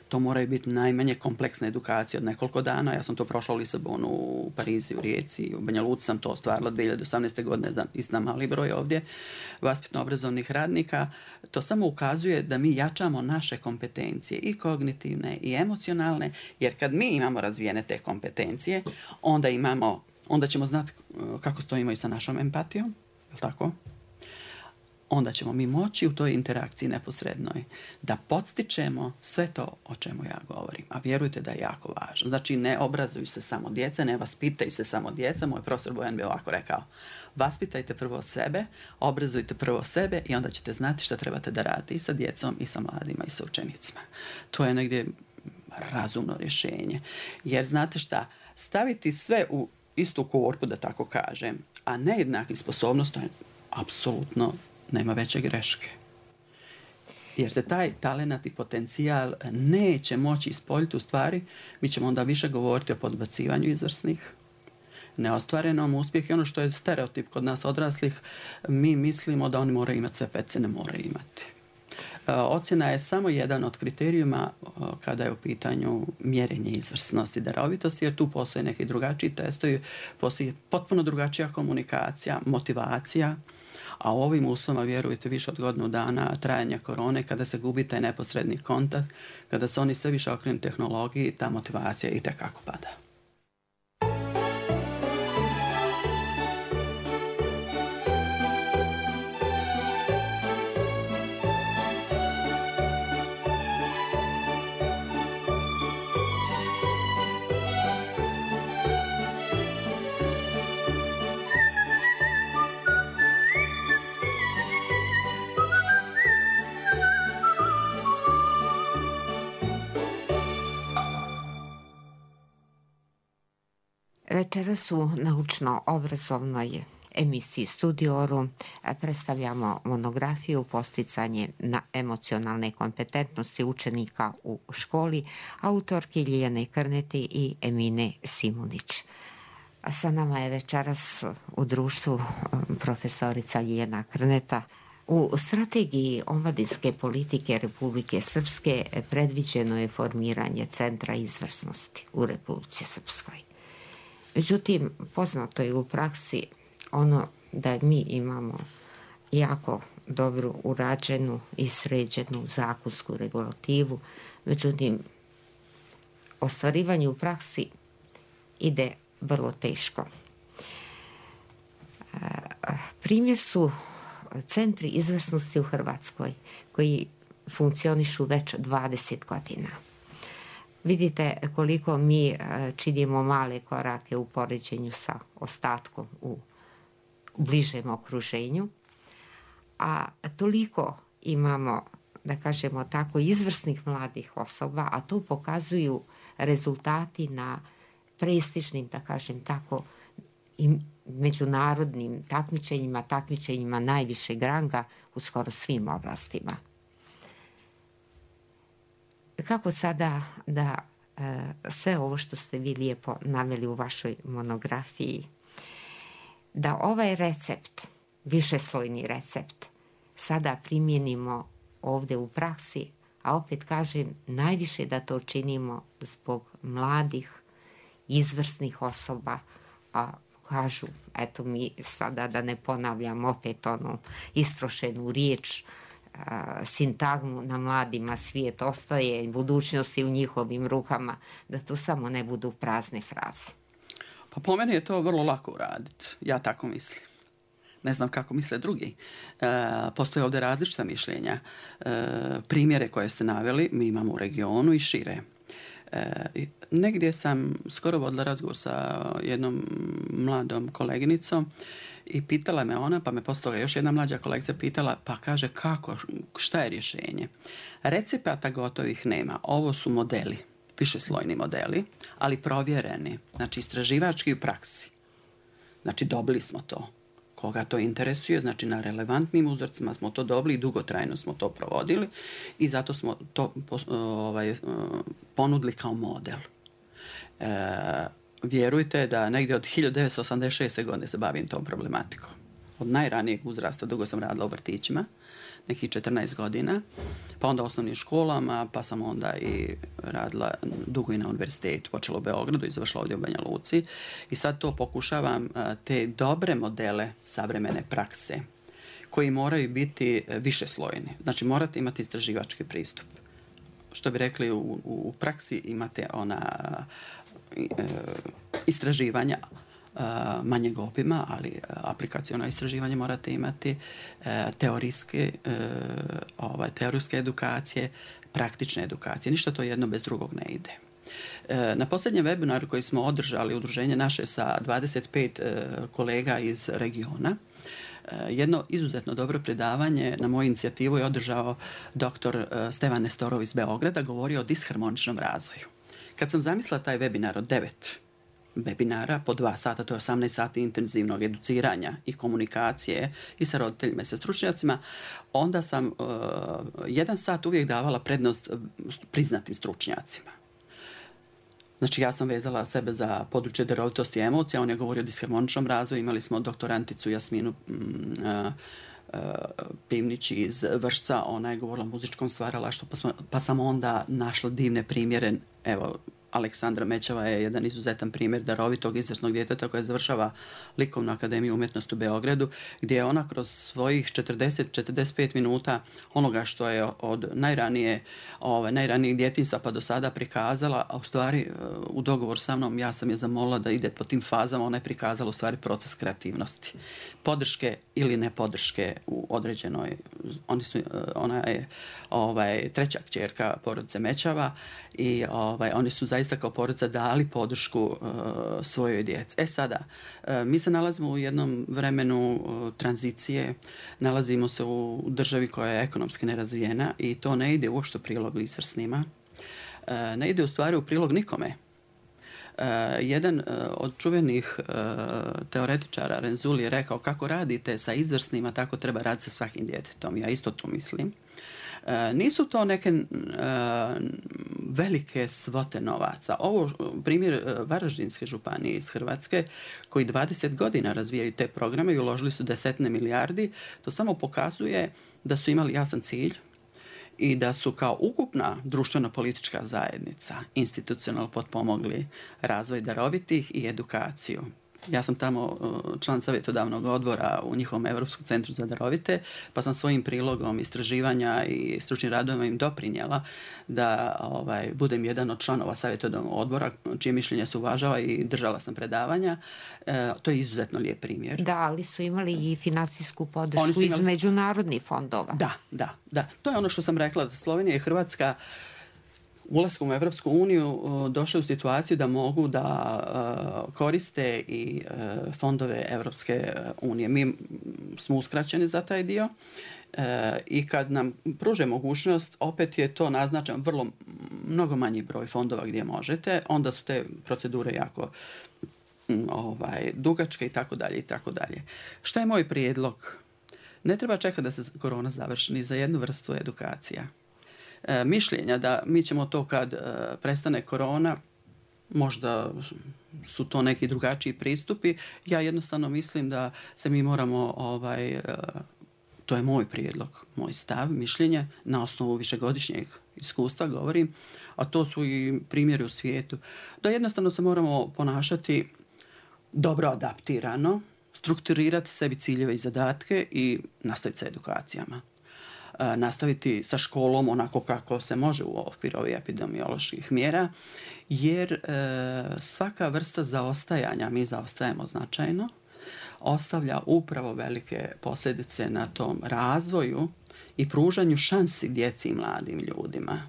To moraju biti najmanje kompleksne edukacije od nekoliko dana. Ja sam to prošla u Lisabonu, u Parizi, u Rijeci, u Banja Luci sam to ostvarila dvije hiljade osamnaeste. godine, istina mali broj ovdje vaspitno-obrazovnih radnika. To samo ukazuje da mi jačamo naše kompetencije i kognitivne i emocionalne, jer kad mi imamo razvijene te kompetencije, onda imamo, onda ćemo znati kako stojimo i sa našom empatijom, je li tako? Onda ćemo mi moći u toj interakciji neposrednoj da podstičemo sve to o čemu ja govorim. A vjerujte da je jako važno. Znači, ne obrazuju se samo djeca, ne vaspitaju se samo djeca. Moj profesor Bojan bi ovako rekao, vaspitajte prvo sebe, obrazujte prvo sebe i onda ćete znati šta trebate da radite i sa djecom, i sa mladima, i sa učenicima. To je negdje razumno rješenje. Jer znate šta, staviti sve u istu korpu, da tako kažem, a nejednaki sposobnost, to je apsolutno nema veće greške. Jer se taj talenat i potencijal neće moći ispoljiti u stvari, mi ćemo onda više govoriti o podbacivanju izvrsnih, neostvarenom uspjehu. I ono što je stereotip kod nas odraslih, mi mislimo da oni moraju imati sve, pece ne moraju imati. Ocjena je samo jedan od kriterijuma kada je u pitanju mjerenje izvrsnosti, darovitosti, jer tu postoje neki drugačiji testovi, postoji potpuno drugačija komunikacija, motivacija, a u ovim uslovima, vjerujte, više od godinu dana trajanja korone, kada se gubi taj neposredni kontakt, kada se oni sve više okrenu tehnologiji, ta motivacija itekako pada.
Večeras u naučno-obrazovnoj emisiji Studioru predstavljamo monografiju Posticanje na emocionalne kompetentnosti učenika u školi autorki Ljiljane Krneti i Emine Simunić. Sa nama je večeras u društvu profesorica Ljiljana Krneta. U strategiji omladinske politike Republike Srpske predviđeno je formiranje Centra izvrsnosti u Republici Srpskoj. Međutim, poznato je u praksi ono da mi imamo jako dobru urađenu i sređenu zakonsku regulativu, međutim, ostvarivanje u praksi ide vrlo teško. Primjer su centri izvrsnosti u Hrvatskoj koji funkcionišu već dvadeset godina. Vidite koliko mi činimo male korake u poređenju sa ostatkom u bližem okruženju, a toliko imamo, da kažemo tako, izvrsnih mladih osoba, a to pokazuju rezultati na prestižnim, da kažem tako, i međunarodnim takmičenjima, takmičenjima najvišeg ranga u skoro svim oblastima. Kako sada da e, sve ovo što ste vi lijepo naveli u vašoj monografiji, da ovaj recept, višeslojni recept, sada primjenimo ovdje u praksi, a opet kažem, najviše da to činimo zbog mladih, izvrsnih osoba, a kažu, eto mi sada da ne ponavljam opet onu istrošenu riječ, a, sintagmu na mladima svijet ostaje, budućnost je u njihovim rukama, da to samo ne budu prazne fraze.
Pa po meni je to vrlo lako uraditi, ja tako mislim. Ne znam kako misle drugi. E, postoje ovdje različita mišljenja. E, primjere koje ste naveli mi imamo u regionu i šire. E, negdje sam skoro vodila razgovor sa jednom mladom koleginicom i pitala me ona, pa me poslije toga još jedna mlađa kolegica pitala, pa kaže kako, šta je rješenje? Recepata gotovih nema, ovo su modeli, višeslojni modeli, ali provjereni, znači istraživački u praksi. Znači dobili smo to. Koga to interesuje, znači na relevantnim uzorcima smo to dobili i dugotrajno smo to provodili i zato smo to ovaj, ponudili kao model. E, vjerujte da negdje od hiljadu devetsto osamdeset šeste. godine se bavim tom problematikom. Od najranijeg uzrasta dugo sam radila u vrtićima, nekih četrnaest godina, pa onda u osnovnim školama, pa sam onda i radila dugo i na univerzitetu, počela u Beogradu i završila ovdje u Banja Luci. I sad to pokušavam, te dobre modele savremene prakse, koji moraju biti višeslojni. Znači morate imati istraživački pristup. Što bi rekli, u, u praksi imate ona e, istraživanja, manjeg obima, ali aplikaciono istraživanje morate imati, teorijske, ovaj, teorijske edukacije, praktične edukacije. Ništa to jedno bez drugog ne ide. Na posljednjem webinaru koji smo održali, udruženje naše sa dvadeset pet kolega iz regiona, jedno izuzetno dobro predavanje na moju inicijativu je održao doktor Stevan Nestorov iz Beograda, govorio o disharmoničnom razvoju. Kad sam zamislila taj webinar od devet webinara po dva sata, to je osamnaest sati intenzivnog educiranja i komunikacije i sa roditeljima i sa stručnjacima, onda sam uh, jedan sat uvijek davala prednost priznatim stručnjacima. Znači ja sam vezala sebe za područje darovitosti i emocija, on je govorio o disharmoničnom razvoju, imali smo doktoranticu Jasminu uh, uh, Pivnić iz Vršca, ona je govorila o muzičkom stvaralaštvu, pa, pa sam onda našla divne primjere, evo, Aleksandra Mećava je jedan izuzetan primjer darovitog izvrsnog djeteta koja završava Likovnu akademiju umjetnosti u Beogradu, gdje je ona kroz svojih četrdeset do četrdeset pet minuta onoga što je od najranije, ove, najranijeg djetinjstva pa do sada prikazala, a u stvari u dogovor sa mnom ja sam je zamolila da ide po tim fazama, ona je prikazala u stvari proces kreativnosti. Podrške ili ne podrške u određenoj, oni su, ona je ovaj, treća kćerka porodice Mećava i ovaj, oni su zaista kao porodica dali podršku uh, svojoj djeci. E sada, uh, mi se nalazimo u jednom vremenu uh, tranzicije, nalazimo se u državi koja je ekonomski nerazvijena i to ne ide uopšte u prilog izvrsnima. Uh, ne ide u stvari u prilog nikome. Uh, jedan uh, od čuvenih uh, teoretičara, Renzulli, je rekao kako radite sa izvrsnima, tako treba raditi sa svakim djetetom. Ja isto to mislim. E, nisu to neke e, velike svote novaca. Ovo primjer e, Varaždinske županije iz Hrvatske koji dvadeset godina razvijaju te programe i uložili su desetine milijardi. To samo pokazuje da su imali jasan cilj i da su kao ukupna društveno-politička zajednica institucionalno potpomogli razvoj darovitih i edukaciju. Ja sam tamo član savjetodavnog odbora u njihovom Europskom centru za darovite, pa sam svojim prilogom istraživanja i stručnim radovima im doprinjela da ovaj, budem jedan od članova savjetodavnog odbora, čije mišljenje se uvažava i držala sam predavanja. E, to je izuzetno lijep primjer.
Da, ali su imali i financijsku podršku
imali...
iz međunarodnih fondova.
Da, da, da. To je ono što sam rekla, da Slovenija i Hrvatska ulaskom u Evropsku uniju došli u situaciju da mogu da koriste i fondove Evropske unije. Mi smo uskraćeni za taj dio i kad nam pruže mogućnost, opet je to naznačen vrlo mnogo manji broj fondova gdje možete, onda su te procedure jako ovaj, dugačke i tako dalje i tako dalje. Šta je moj prijedlog? Ne treba čekati da se korona završi ni za jednu vrstu edukacija. E, mišljenja da mi ćemo to kad e, prestane korona, možda su to neki drugačiji pristupi. Ja jednostavno mislim da se mi moramo, ovaj, e, to je moj prijedlog, moj stav, mišljenje, na osnovu višegodišnjeg iskustva govorim, a to su i primjeri u svijetu, da jednostavno se moramo ponašati dobro adaptirano, strukturirati sebi ciljeve i zadatke i nastaviti sa edukacijama. E, nastaviti sa školom onako kako se može u okviru ovih epidemioloških mjera, jer e, svaka vrsta zaostajanja, mi zaostajemo značajno, ostavlja upravo velike posljedice na tom razvoju i pružanju šansi djeci i mladim ljudima.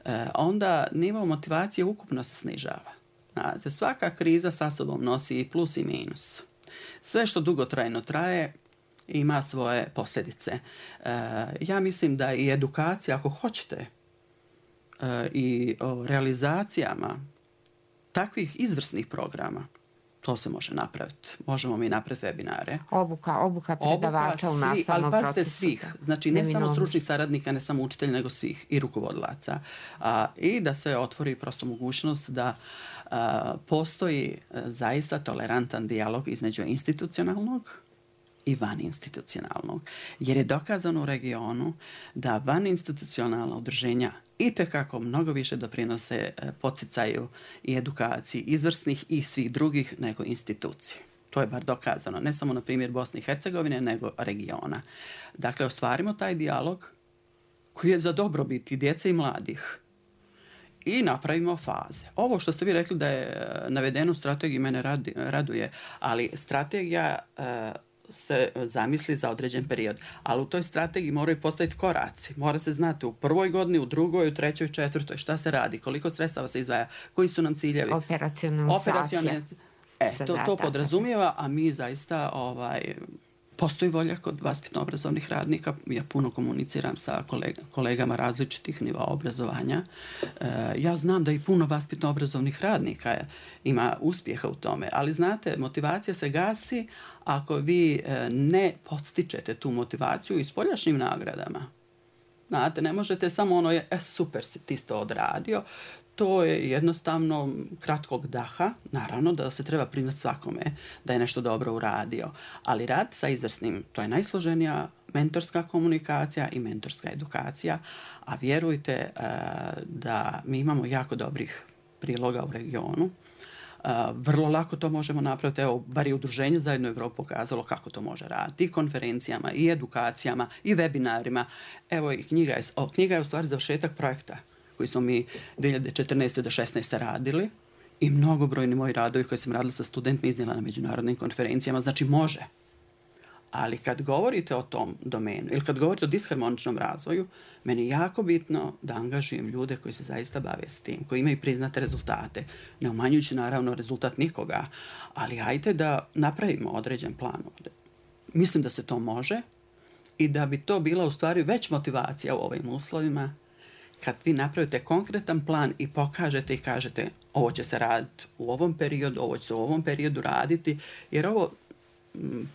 E, onda nivo motivacije ukupno se snižava. Znate, svaka kriza sa sobom nosi i plus i minus. Sve što dugotrajno traje ima svoje posljedice. E, ja mislim da i edukacija, ako hoćete, e, i o realizacijama takvih izvrsnih programa, to se može napraviti. Možemo mi napraviti webinare.
Obuka, obuka predavača obuka, u nastavnom procesu. Ali pazite svih. Znači ne samo stručnih saradnika, ne samo učitelja, nego svih i rukovodilaca. A, I da se otvori prosto mogućnost da a, postoji a, zaista tolerantan dijalog između institucionalnog i vaninstitucionalnog. Jer je dokazano u regionu da vaninstitucionalna udruženja itekako mnogo više doprinose poticaju i edukaciji izvrsnih i svih drugih nego institucije. To je bar dokazano, ne samo na primjer Bosne i Hercegovine, nego regiona. Dakle, ostvarimo taj dijalog koji je za dobrobit i djece i mladih i napravimo faze. Ovo što ste vi rekli da je navedeno u strategiji mene radi, raduje, ali strategija e, se zamisli za određen period. Ali u toj strategiji moraju postaviti koraci. Mora se znati u prvoj godini, u drugoj, u trećoj, četvrtoj, šta se radi, koliko sredstava se izdvaja, koji su nam ciljevi. Operacionalizacija.
E, to, to podrazumijeva, a mi zaista ovaj, postoji volja kod vaspitno-obrazovnih radnika. Ja puno komuniciram sa kolega, kolegama različitih nivoa obrazovanja. E, ja znam da i puno vaspitno-obrazovnih radnika ima uspjeha u tome, ali znate, motivacija se gasi ako vi ne podstičete tu motivaciju i s poljašnjim nagradama. Znate, ne možete samo ono, je, e, super si ti to odradio. To je jednostavno kratkog daha. Naravno da se treba priznati svakome da je nešto dobro uradio. Ali rad sa izvrsnim, to je najsloženija mentorska komunikacija i mentorska edukacija. A vjerujte da mi imamo jako dobrih priloga u regionu. Uh, vrlo lako to možemo napraviti, evo, bar i udruženje Zajedno Evropu pokazalo kako to može raditi, i konferencijama, i edukacijama, i webinarima. Evo, i knjiga je, o, knjiga je u stvari završetak projekta koji smo mi dvije hiljade četrnaeste do šesnaeste radili i mnogobrojni moji radovi koje sam radila sa studentima iznijela na međunarodnim konferencijama, znači može. Ali kad govorite o tom domenu ili kad govorite o disharmoničnom razvoju, meni je jako bitno da angažujem ljude koji se zaista bave s tim, koji imaju priznate rezultate, ne umanjujući naravno rezultat nikoga, ali hajde da napravimo određen plan. Mislim da se to može i da bi to bila u stvari već motivacija u ovim uslovima, kad vi napravite konkretan plan i pokažete i kažete ovo će se raditi u ovom periodu, ovo će se u ovom periodu raditi, jer ovo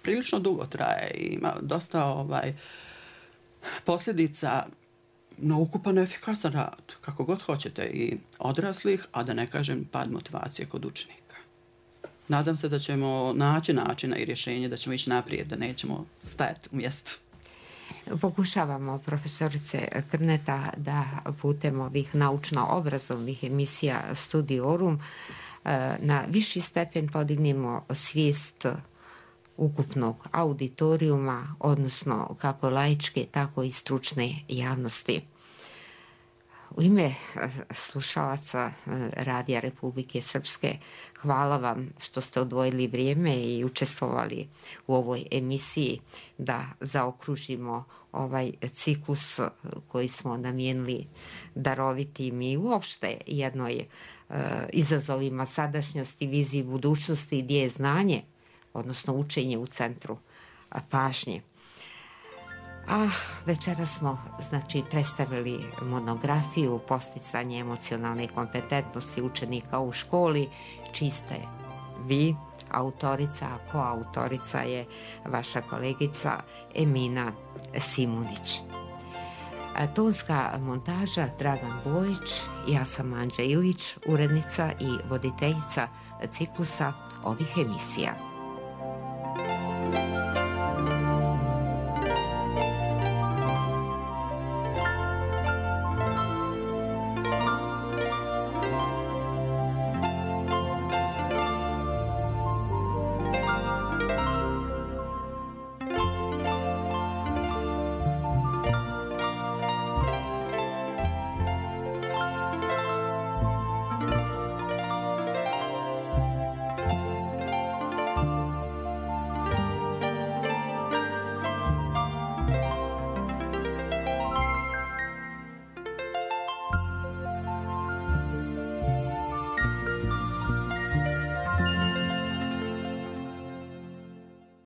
prilično dugo traje i ima dosta ovaj, posljedica na ukupan efikasan rad, kako god hoćete, i odraslih, a da ne kažem pad motivacije kod učenika. Nadam se da ćemo naći načina i rješenje, da ćemo ići naprijed, da nećemo stajati u mjestu.
Pokušavamo, profesorice Krneta, da putem ovih naučno-obrazovnih emisija Studiorum na viši stepen podignemo svijest ukupnog auditorijuma, odnosno kako laičke, tako i stručne javnosti. U ime slušalaca Radija Republike Srpske, hvala vam što ste odvojili vrijeme i učestvovali u ovoj emisiji da zaokružimo ovaj ciklus koji smo namijenili darovitim i uopšte jednoj izazovima sadašnjosti, viziji budućnosti gdje je znanje, odnosno učenje u centru pažnje. A večera smo znači predstavili monografiju Posticanje emocionalne kompetentnosti učenika u školi, čiji ste vi autorica, a koautorica je vaša kolegica Emina Simunić. Tonska montaža Dragan Bojić, ja sam Anđa Ilić, urednica i voditeljica ciklusa ovih emisija.